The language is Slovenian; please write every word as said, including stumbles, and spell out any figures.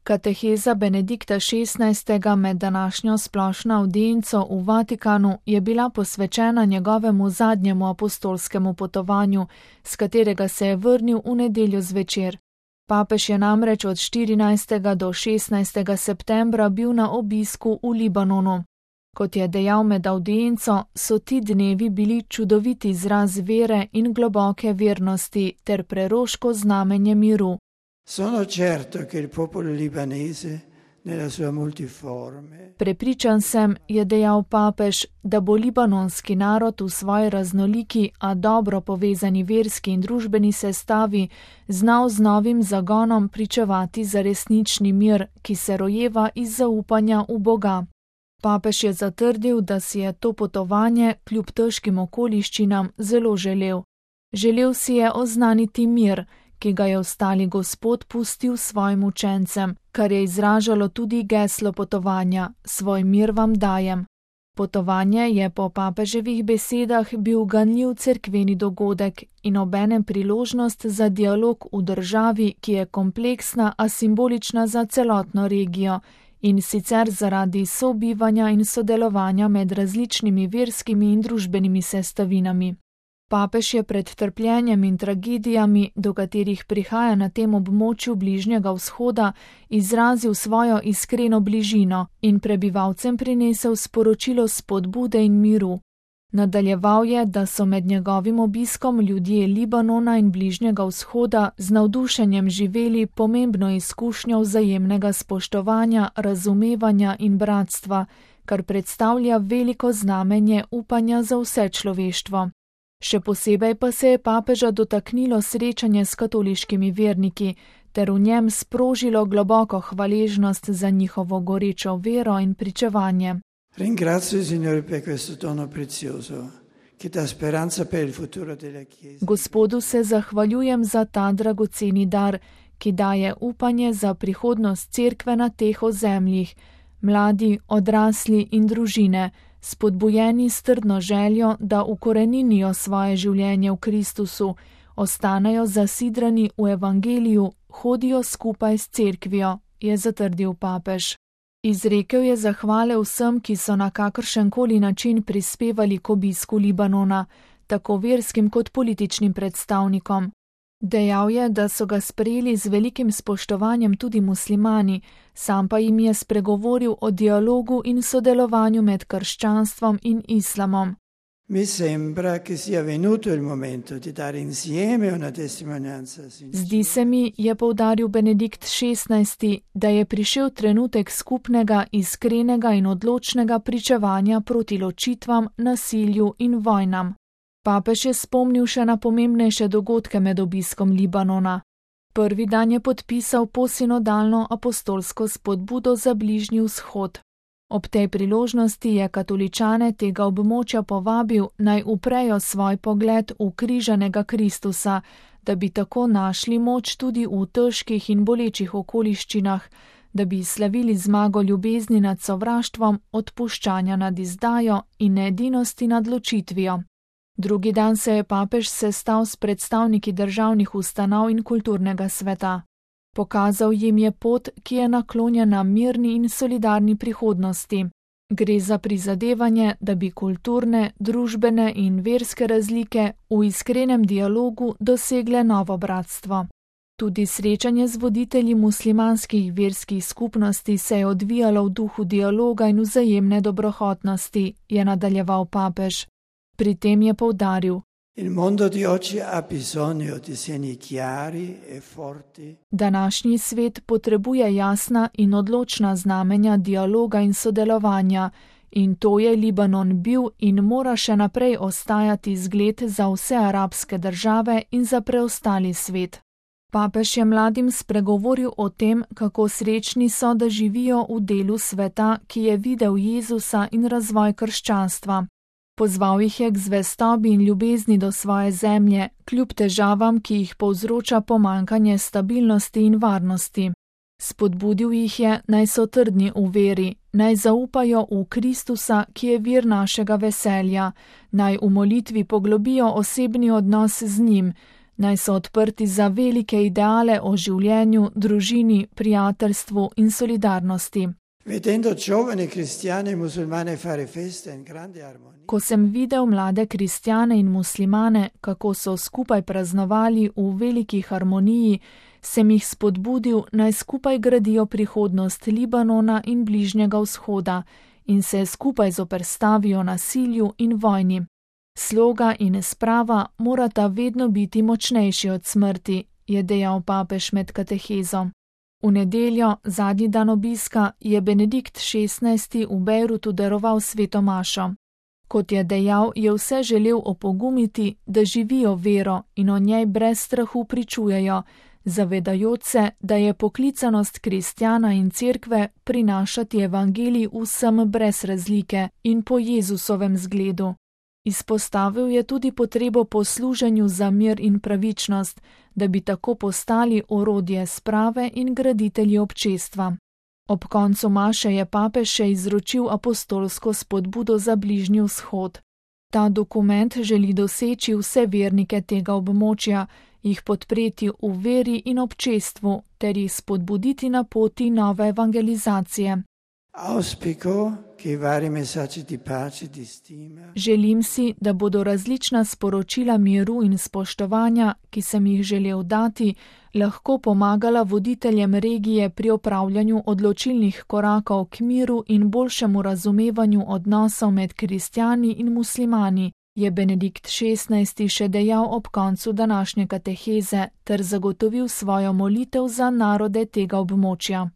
Kateheza Benedikta šestnajstega med današnjo splošno avdienco v Vatikanu je bila posvečena njegovemu zadnjemu apostolskemu potovanju, s katerega se je vrnil v nedeljo zvečer. Papež je namreč od štirinajstega do šestnajstega septembra bil na obisku v Libanonu. Kot je dejal med avdienco, so ti dnevi bili čudovit izraz vere in globoke vernosti ter preroško znamenje miru. Sono certo che il popolo libanese nella sua multiforme. Prepričan sem, je dejal papež, da bo libanonski narod v svoji raznoliki, a dobro povezani verski in družbeni sestavi znal z novim zagonom pričevati za resnični mir, ki se rojeva iz zaupanja v Boga. Papež je zatrdil, da si je to potovanje kljub težkim okoliščinam zelo želel. Želel si je oznaniti mir, ki ga je ostali Gospod pustil svojim učencem, kar je izražalo tudi geslo potovanja: svoj mir vam dajem. Potovanje je po papeževih besedah bil ganljiv cerkveni dogodek in obenem priložnost za dialog v državi, ki je kompleksna, a simbolična za celotno regijo, in sicer zaradi sobivanja in sodelovanja med različnimi verskimi in družbenimi sestavinami. Papež je pred trpljenjem in tragedijami, do katerih prihaja na tem območju Bližnjega vzhoda, izrazil svojo iskreno bližino in prebivalcem prinesel sporočilo spodbude in miru. Nadaljeval je, da so med njegovim obiskom ljudje Libanona in Bližnjega vzhoda z navdušenjem živeli pomembno izkušnjo vzajemnega spoštovanja, razumevanja in bratstva, kar predstavlja veliko znamenje upanja za vse človeštvo. Še posebej pa se je papeža dotaknilo srečanje s katoliškimi verniki, ter v njem sprožilo globoko hvaležnost za njihovo gorečo vero in pričevanje. Ringrazio il Signore per questo dono prezioso, che dà speranza per il futuro della Chiesa. Gospodu se zahvaljujem za ta dragoceni dar, ki daje upanje za prihodnost cerkve na teh ozemljih, mladi, odrasli in družine, spodbujeni s trdno željo, da ukoreninijo svoje življenje v Kristusu, ostanejo zasidrani v evangeliju, hodijo skupaj s cerkvijo, je zatrdil papež. Izrekel je zahvale vsem, ki so na kakršenkoli način prispevali k obisku Libanona, tako verskim kot političnim predstavnikom. Dejal je, da so ga sprejeli z velikim spoštovanjem tudi muslimani, sam pa jim je spregovoril o dialogu in sodelovanju med krščanstvom in islamom. Mi sembra che sia venuto il momento di dare insieme una testimonianza. Zdi se mi, je poudaril Benedikt šestnajsti, da je prišel trenutek skupnega, iskrenega in odločnega pričevanja proti ločitvam, nasilju in vojnam. Papež je spomnil še na pomembnejše dogodke med obiskom Libanona. Prvi dan je podpisal posinodalno apostolsko spodbudo za Bližnji vzhod. Ob tej priložnosti je katoličane tega območja povabil, naj uprejo svoj pogled v križanega Kristusa, da bi tako našli moč tudi v težkih in bolečih okoliščinah, da bi slavili zmago ljubezni nad sovraštvom, odpuščanja nad izdajo in edinosti nad ločitvijo. Drugi dan se je papež sestal s predstavniki državnih ustanov in kulturnega sveta. Pokazal jim je pot, ki je naklonjena mirni in solidarni prihodnosti. Gre za prizadevanje, da bi kulturne, družbene in verske razlike v iskrenem dialogu dosegle novo bratstvo. Tudi srečanje z voditelji muslimanskih verskih skupnosti se je odvijalo v duhu dialoga in vzajemne dobrohotnosti, je nadaljeval papež. Pri tem je poudaril: Il mondo di oggi ha bisogno di segni chiari e forti. Današnji svet potrebuje jasna in odločna znamenja dialoga in sodelovanja, in to je Libanon bil in mora še naprej ostajati zgled za vse arabske države in za preostali svet. Papež je mladim spregovoril o tem, kako srečni so, da živijo v delu sveta, ki je videl Jezusa in razvoj krščanstva. Pozval jih je k zvestobi in ljubezni do svoje zemlje, kljub težavam, ki jih povzroča pomanjkanje stabilnosti in varnosti. Spodbudil jih je, naj so trdni v veri, naj zaupajo v Kristusa, ki je vir našega veselja, naj v molitvi poglobijo osebni odnos z njim, Naj so odprti za velike ideale o življenju, družini, prijateljstvu in solidarnosti. Vedendo giovani cristiani e musulmani fare festa in grande armonia. Ko sem videl mlade kristjane in muslimane, kako so skupaj praznovali v veliki harmoniji, sem jih spodbudil, naj skupaj gradijo prihodnost Libanona in Bližnjega vzhoda in se skupaj zoperstavijo nasilju in vojni. Sloga in sprava morata vedno biti močnejši od smrti, je dejal papež med katehezo. V nedeljo, zadnji dan obiska, je Benedikt šestnajsti v Bejrutu daroval sveto mašo. Kot je dejal, je vse želel opogumiti, da živijo vero in o njej brez strahu pričujejo, zavedajoč se, da je poklicanost kristjana in cerkve prinašati evangelij vsem brez razlike in po Jezusovem zgledu. Izpostavil je tudi potrebo po služenju za mir in pravičnost, da bi tako postali orodje sprave in graditelji občestva. Ob koncu maše je papež še izročil apostolsko spodbudo za Bližnji vzhod. Ta dokument želi doseči vse vernike tega območja, jih podpreti v veri in občestvu ter jih spodbuditi na poti nove evangelizacije. Auspico che i vari messaggi di pace, di stima. Želim si, da bodo različna sporočila miru in spoštovanja, ki sem jih želel dati, lahko pomagala voditeljem regije pri opravljanju odločilnih korakov k miru in boljšemu razumevanju odnosov med kristjani in muslimani, je Benedikt šestnajsti še dejal ob koncu današnje kateheze ter zagotovil svojo molitev za narode tega območja.